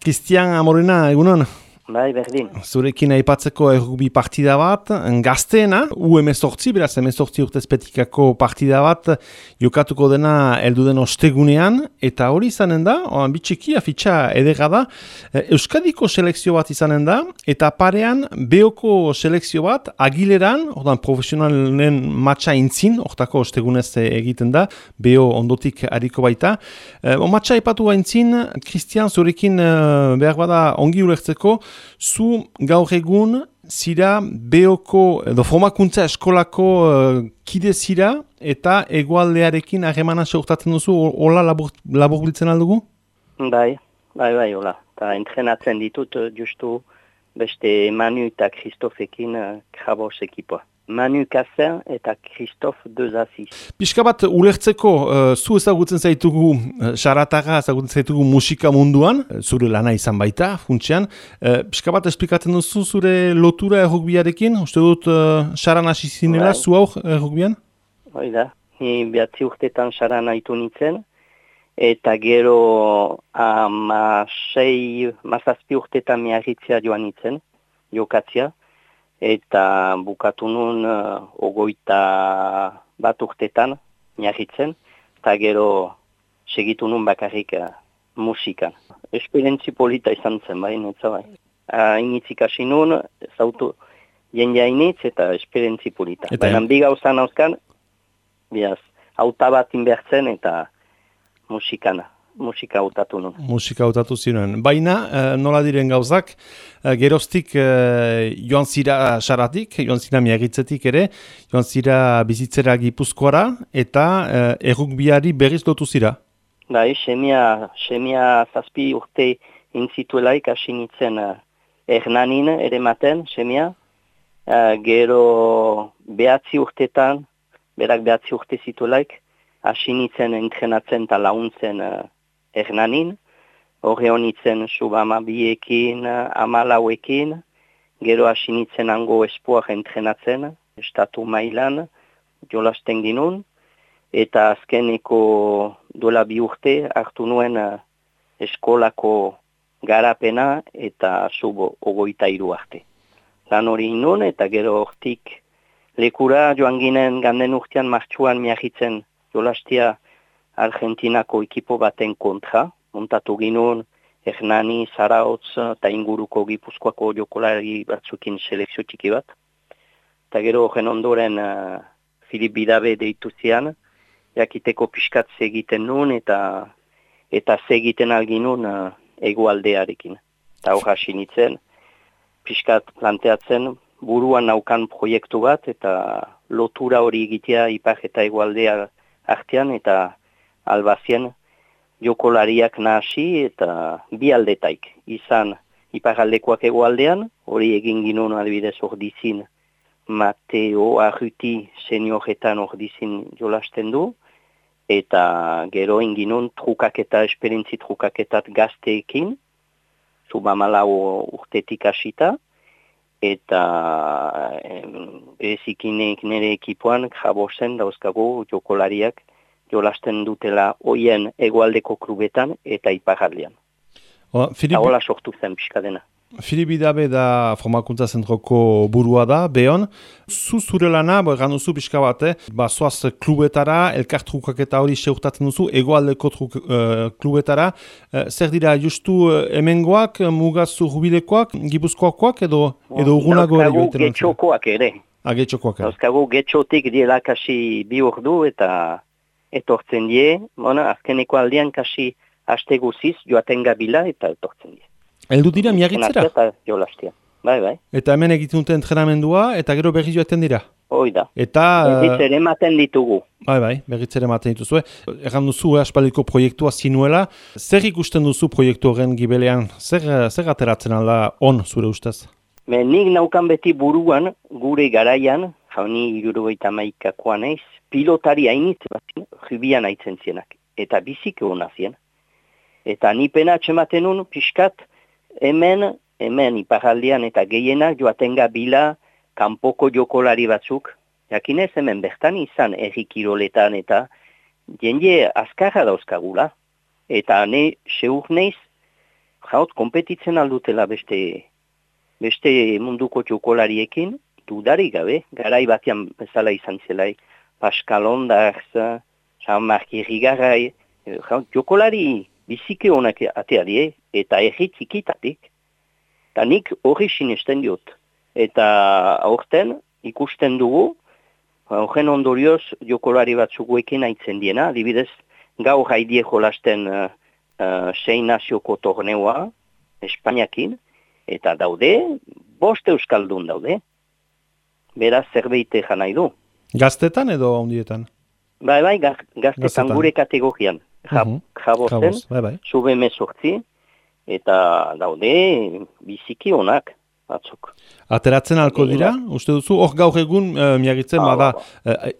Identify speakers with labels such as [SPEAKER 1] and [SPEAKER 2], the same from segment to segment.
[SPEAKER 1] Cristian Amorena, egunon?
[SPEAKER 2] Bai, berdin.
[SPEAKER 1] Zurekin aipatzeko errugbi partida bat, gazteena, U18, beraz U18 urtezpetikako partida bat, jokatuko dena elduden ostegunean, eta hori izanen da, bitxiki afitxa edera da, Euskadiko selekzio bat izanen da, eta parean Beoko selekzio bat, Agileran, ordan profesionalen matxa intzin, hortako ostegunez egiten da, Beo ondotik hariko baita. Matxa aipatu baintzin, Cristian, zurekin behar bada ongi ulertzeko, zu gaur egun zira Beoko edo formakuntza eskolako kide zira eta hegoaldearekin harremana seurtatzen duzu, hola labur biltzen aldugu?
[SPEAKER 2] Bai, hola. Eta entrenatzen ditut justu beste Manu eta Kristofekin Krabos ekipoa. Manu Kassen eta Kristof Dezaziz.
[SPEAKER 1] Pixka bat ulertzeko, zu ezagutzen zaitugu, xarataga ezagutzen zaitugu musika munduan, zure lana izan baita, funtsean. Pixka bat esplikatzen duzu zure lotura errugbiarekin? Uste dut xaran hasi zinela, zu hau errugbian?
[SPEAKER 2] Hoi da, ni 9 urtetan xaran haitu nintzen, eta gero 6-7 urtetan miarritzea joan nintzen, jokatzea. Eta bukatu nun 21 urtetan miarritzen, eta gero segitu nun bakarrik musikan. Esperientzi polita izan zen, bai, netza bai. Initzik hasi nun, zautu jendea initz eta esperientzi polita. Baina bi gauzan hauzkan, biaz, auta bat inbertzen eta musika hautatu nun.
[SPEAKER 1] Musika hautatu ziren. Baina, nola diren gauzak, geroztik joan zira xaratik, joan zira miagitzetik ere, joan zira bizitzera Gipuzkoara, eta errugbiari berriz lotu zira?
[SPEAKER 2] Bai, semia 7 urte intzituelaik hasi nintzen Hernanin ere maten, semia. Gero 9 urtetan, berak 9 urte zituelaik, hasi nintzen entrenatzen eta launtzen Hernanin, horre honitzen subama biekin, amalauekin, gero hasi nintzen hango espoak entrenatzen, estatu mailan, jolasten ginun, eta azkeneko duela 2 urte hartu nuen eskolako garapena eta sub 23 arte. Lan hori inun eta gero hortik lekura joan ginen ganden urtean martxuan miahitzen jolastia Argentinako ekipo baten kontra, montatu ginun Hernani, Zarautz eta inguruko Gipuzkoako jokolari batzukin selekzio txiki bat. Eta gero horren ondoren Filip Bidabe deitu zian, jakiteko pixkat segiten nun eta segiten alginun hegoaldearekin. Eta hor hasi nintzen, pixkat planteatzen buruan naukan proiektu bat eta lotura hori egitea ipar eta hegoaldea artean eta albazien jokolariak nahasi eta bi aldetaik. Izan iparaldekoak hegoaldean, hori egin ginun adibidez ordizin Mateo Arruti senioretan ordizin jolasten du, eta gero inginun trukaketa, esperientzi trukaketat gazteekin, subamalau urtetik hasita, eta berezikinek nire ekipoan jabozen dauzkago jokolariak jolasten dutela hoien hegoaldeko klubetan eta iparaldean. Eta hola sortu zen pixka dena.
[SPEAKER 1] Filip Bidabe da formakuntza zentroko burua da, Beon. Zure lana, egan duzu pixka bat, zoaz klubetara, elkartrukak eta hori seurtatzen duzu, hegoaldeko klubetara. Zer dira, justu hemengoak, mugaz urbilekoak, gipuzkoakoak edo urgunago ere joiten?
[SPEAKER 2] Getxokoak ere.
[SPEAKER 1] Getxokoak ere.
[SPEAKER 2] Dauzkagu getxotik dielakasi 2 ordu eta etortzen die, azkeneko aldean kasi haste guziz joaten gabila eta etortzen die.
[SPEAKER 1] Eldu dira miagitzera?
[SPEAKER 2] Eta jolastia. Bai.
[SPEAKER 1] Eta hemen egiten dute entrenamendua eta gero berriz joaten dira?
[SPEAKER 2] Hoi da.
[SPEAKER 1] Eta...
[SPEAKER 2] Berritzere ematen ditugu.
[SPEAKER 1] Bai, berritzere ematen dituzue. Erran duzu aspaldiko proiektua zinuela. Zer ikusten duzu proiektu horren gibelean? Zer ateratzen alda on zure ustez?
[SPEAKER 2] Nik naukan beti buruan, gure garaian, jauni 71koa naiz, pilotari hainitz bat, jubian haitzen zienak. Eta bizik egon azien. Eta nipena atxematen nun, pixkat, hemen iparaldean eta gehienak joatenga bila kanpoko jokolari batzuk. Jakinez hemen bertan izan errikiroletan eta jende azkarra dauzkagula. Eta ne seur neiz jaut, kompetitzen aldutela beste munduko jokolariekin, dudarik gabe, garai batean bezala izan zelai, Pascal Ondarz, Jean-Marc Irrigaray, jokolari biziki honak ateari, eta erri txikitatik, eta nik hori sinesten diot. Eta aurten ikusten dugu, horren ondorioz jokolari batzuguekin aitzen diena, adibidez, gaur haidie jolasten 6 nazioko torneoa, Espainiakin, eta daude, 5 euskaldun daude. Beraz, zerbait ejan nahi du.
[SPEAKER 1] Gaztetan edo ondietan?
[SPEAKER 2] Bai, gaztetan gure kategorian. Jabozen, sube mesortzi, eta daude biziki onak batzuk.
[SPEAKER 1] Ateratzen alko dira, uste duzu? Hor gaur egun, miagitzen,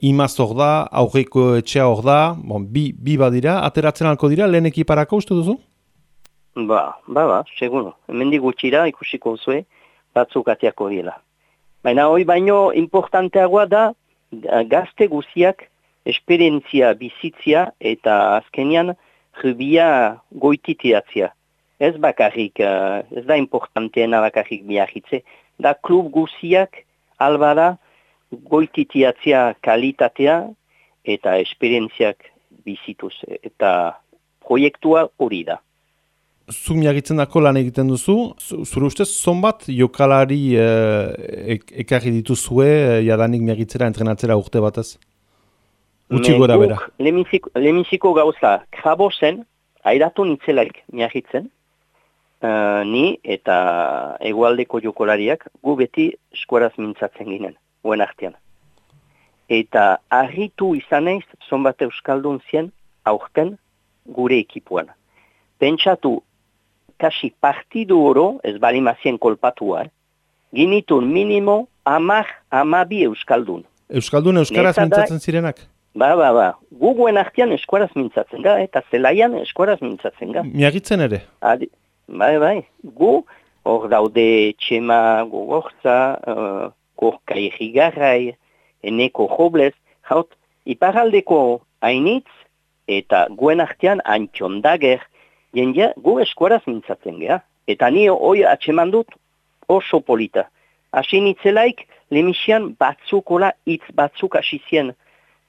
[SPEAKER 1] imaz hor da, aurreko etxea hor da, bi badira, ateratzen alko dira, lehen ekiparako uste duzu?
[SPEAKER 2] Seguno. Hemendik gutxira ikusiko zue, batzuk atiako dira. Baina hori baino importanteagoa da, gazte guziak esperientzia bizitzia eta azkenian rubia goititiatzia. Ez bakarrik, ez da importanteena bakarrik biarritze, da klub guziak albada goititiatzia kalitatea eta esperientziak bizituz. Eta proiektua hori da.
[SPEAKER 1] Zu miagitzen dako lan egiten duzu, zure ustez, zonbat jokalari ekarri dituzue jadanik miagitzera, entrenatzera urte batez? Utsi gora bera.
[SPEAKER 2] Lehenbiziko gauza, Jabozen, airatu nitzelaik miagitzen, ni eta hegoaldeko jokolariak gu beti eskuaraz mintzatzen ginen, guen artean. Eta harritu izan naiz, zonbat euskaldun zien aurten gure ekipuan. Pentsatu, kasi partidu oro, ez balimazien kolpatua, ginitun minimo 10-12 euskaldun.
[SPEAKER 1] Euskaldun euskaraz mintzatzen zirenak?
[SPEAKER 2] Gu guen artean eskuaraz mintzatzen ga, eta zelaian eskuaraz mintzatzen ga.
[SPEAKER 1] Miagitzen ere?
[SPEAKER 2] Bai. Gu, hor daude Txema Gogortza, Korka Irrigaray, Eneko Joblez, jaut, iparaldeko hainitz, eta guen artean Antxon Dager, jendea, gu eskuaraz mintzatzen geha. Eta ni hoi atxeman dut oso polita. Hasi nitzelaik, lemixian batzukola hitz batzuk hasizien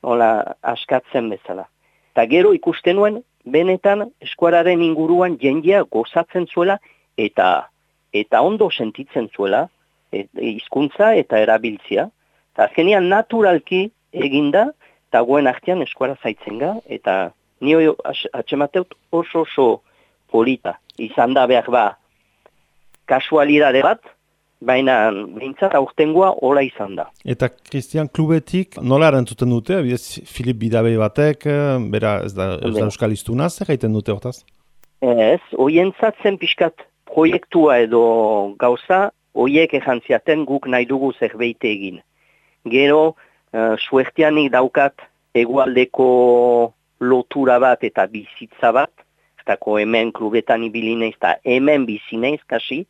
[SPEAKER 2] askatzen bezala. Eta gero ikusten nuen, benetan eskuararen inguruan jendea gozatzen zuela eta ondo sentitzen zuela, hizkuntza eta erabiltzia. Eta azkenian naturalki eginda, eta guen artean eskuara zaitzen ga, eta ni hoi atxemateut oso polita. Izan da behar kasualidade bat, baina behintzat aurtengoa hola izan da.
[SPEAKER 1] Eta Christian klubetik nola erantzuten dute? Abidez, Filip Bidabei batek, bera ez da euskal iztunaz, zer gaiten dute hortaz?
[SPEAKER 2] Ez, hoientzatzen pixkat proiektua edo gauza, hoiek ejantziaten guk nahi dugu zerbait egin. Gero, suertianik daukat hegoaldeko lotura bat eta bizitza bat, eztako hemen klubetan ibilineiz eta hemen bizineiz kasi,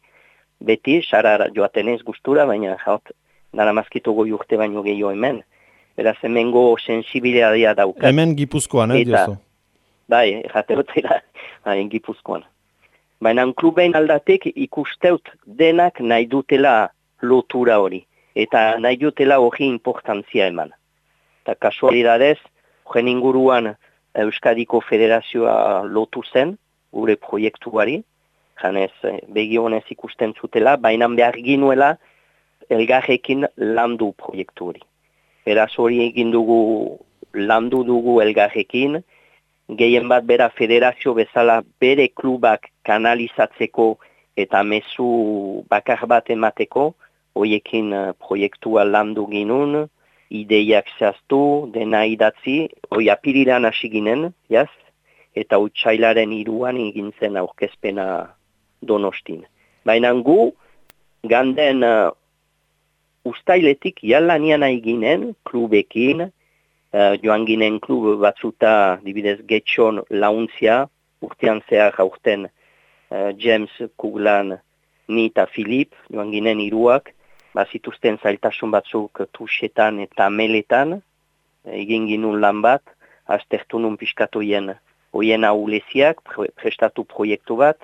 [SPEAKER 2] beti, sarara joatenez gustura, baina jaut, dara mazkito goi urte baino gehiago hemen. Beraz, hemengo sensibilitatea daukat.
[SPEAKER 1] Hemen Gipuzkoan, diozu?
[SPEAKER 2] Bai, jateotela, Gipuzkoan. Baina kluben aldatek ikusteut denak nahi dutela lotura hori. Eta nahi dutela hori importantzia eman. Eta kasualidadez, horren inguruan Euskadiko Federazioa lotu zen, gure proiektuari, janez begionez ikusten zutela, baina behar ginuela elgarrekin landu proiektu hori. Beraz hori egin dugu, landu dugu elgarrekin, gehien bat bera federazio bezala bere klubak kanalizatzeko eta mezu bakar bat emateko, horiekin proiektua landu ginun, ideiak zehaztu, dena idatzi, hoi apirilan hasi ginen, jaz? Eta utsailaren 3 egin zen aurkezpena Donostin. Baina gu, ganden ustailetik jalanian nahi ginen, klubekin, joan ginen klub batzuta, dibidez Getxon launtzia, urtean zehar aurten James Kuglan, ni eta Filip, joan ginen 3, bazituzten zailtasun batzuk tuxetan eta meletan, egin ginun lan bat, aztertu nun pixkatu hoien ahuleziak, prestatu proiektu bat,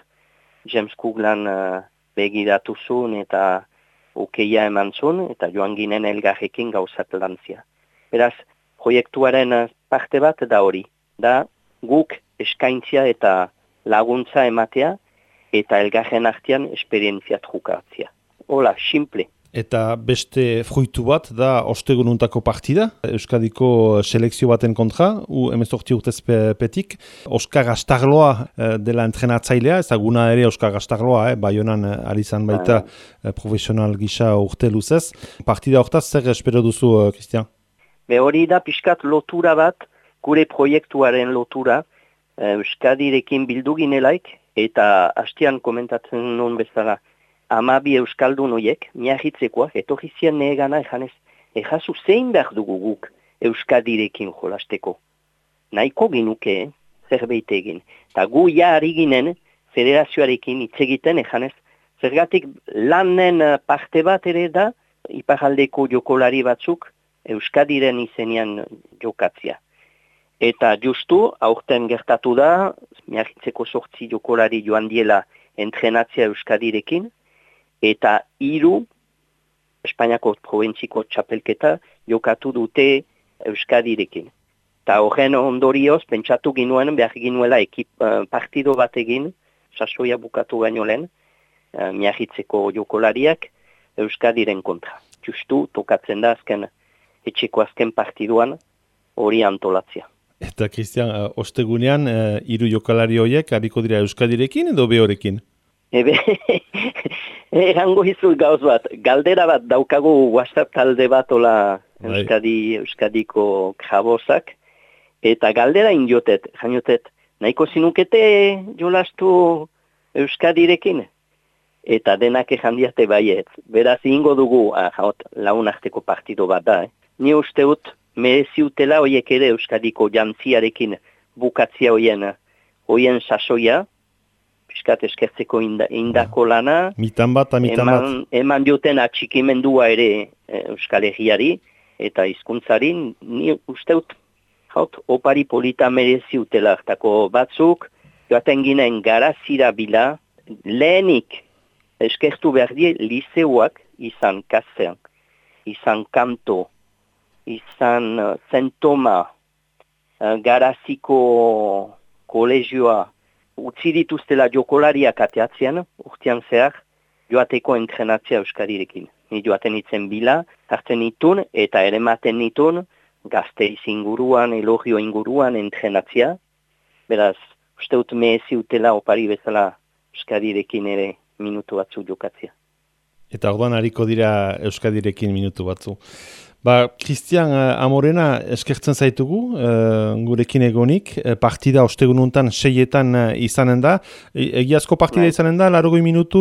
[SPEAKER 2] James Cooklan begiratu zuen eta okeia eman zuen, eta joan ginen elgarrekin gauzat lantzia. Beraz, proiektuaren parte bat da hori, da guk eskaintzia eta laguntza ematea, eta elgarren artean esperientzia trukatzia. Hola, simple.
[SPEAKER 1] Eta beste fruitu bat da ostegununtako partida, Euskadiko selekzio baten kontra, U18 urtezpetik. Oskar Astarloa dela entrenatzailea, ezaguna ere Oskar Astarloa, Baionan ari izan baita profesional gisa urte luzez. Partida hortaz, zer espero duzu, Christian?
[SPEAKER 2] Hori da pixkat lotura bat, gure proiektuaren lotura, Euskadirekin bildu ginelaik, eta hastian komentatzen nuen bezala, 12 euskaldun horiek, miahitzekoak, etorri zian negana ejanez, ejazu zein behar dugu guk Euskadirekin jolasteko. Nahiko ginuke, zerbait egin. Eta gu ari ginen, federazioarekin hitz egiten ejanez, zergatik lanen parte bat ere da, iparaldeko jokolari batzuk, Euskadiren izenean jokatzia. Eta justu, aurten gertatu da, miahitzeko 8 jokolari joan diela entrenatzia Euskadirekin, eta 3 Espainiako probentziko txapelketa jokatu dute Euskadirekin. Eta horren ondorioz, pentsatu ginuen, behar ginuela partido bat egin, sasoia bukatu baino lehen, miahitzeko jokolariak Euskadiren kontra. Justu, tokatzen da etxeko azken partiduan hori antolatzia.
[SPEAKER 1] Eta, Christian, ostegunean, 3 jokalari horiek hariko dira Euskadirekin edo behorekin?
[SPEAKER 2] Erango izuz gauz bat, galdera bat daukagu WhatsApp talde bat ola Euskadiko krabozak, eta galdera injotet, nahiko zinukete jolastu Euskadirekin, eta denak ejandiate baiet. Beraz, ingo dugu, laun arteko partido bat da. Ni usteut, mereziutela horiek ere Euskadiko jantziarekin bukatzia hoien sasoia, piskat eskertzeko indako lana,
[SPEAKER 1] mitan bat.
[SPEAKER 2] Eman dioten atxikimendua ere Euskal Herriari eta hizkuntzari, ni usteut opari polita mereziutela hartako batzuk, joaten ginen garazira bila, lehenik eskertu behar die liseuak izan Kazean, izan Kanto, izan Zentoma, garaziko kolegioa, utzi dituztela jokolariak ateatzean, urtean zehar, joateko entrenatzea Euskadirekin. Ni joaten itzen bila, hartzen nitun eta erematen nitun, Gasteiz inguruan, Elorrio inguruan entrenatzea. Beraz, usteut meheziutela opari bezala Euskadirekin ere minutu batzu jokatzea.
[SPEAKER 1] Eta orduan hariko dira Euskadirekin minutu batzu. Christian Amorena eskertzen zaitugu, gurekin egonik, partida ostegununtan 6etan izanen da. Egiazko partida izanen da, 80 minutu?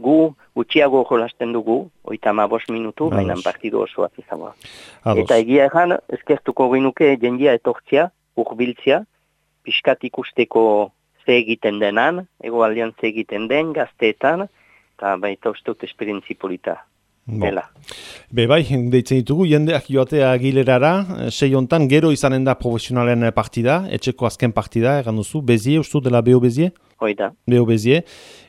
[SPEAKER 2] Gu gutxiago jolasten dugu, 35 minutu, baina partidu osoak izango. Eta egia egan, eskertuko ginuke jendia etortzia, urbiltzia, pixkat ikusteko ze egiten denan, egoaldean ze egiten den, gazteetan, eta baita usteut esperientzi polita.
[SPEAKER 1] Bai, deitzen ditugu, jendeak joatea Agilerara, 6 hontan, gero izanen da profesionalen partida, etxeko azken partida, egan duzu, Bezie, ustu dela Beo Bezie?
[SPEAKER 2] Hoida.
[SPEAKER 1] Beo Bezie,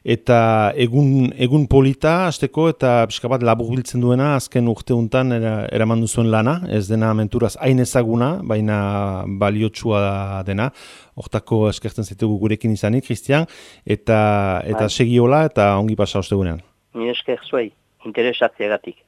[SPEAKER 1] eta egun polita, azteko, eta pixka bat laburbiltzen duena, azken urte hontan eraman duzuen lana, ez dena menturaz hain ezaguna, baina baliotsua dena, hortako eskertzen zaitugu gurekin izanik, Christian, eta segiola, eta ongi pasa ostegunean.
[SPEAKER 2] Ni esker zuei. Interesatzeagatik.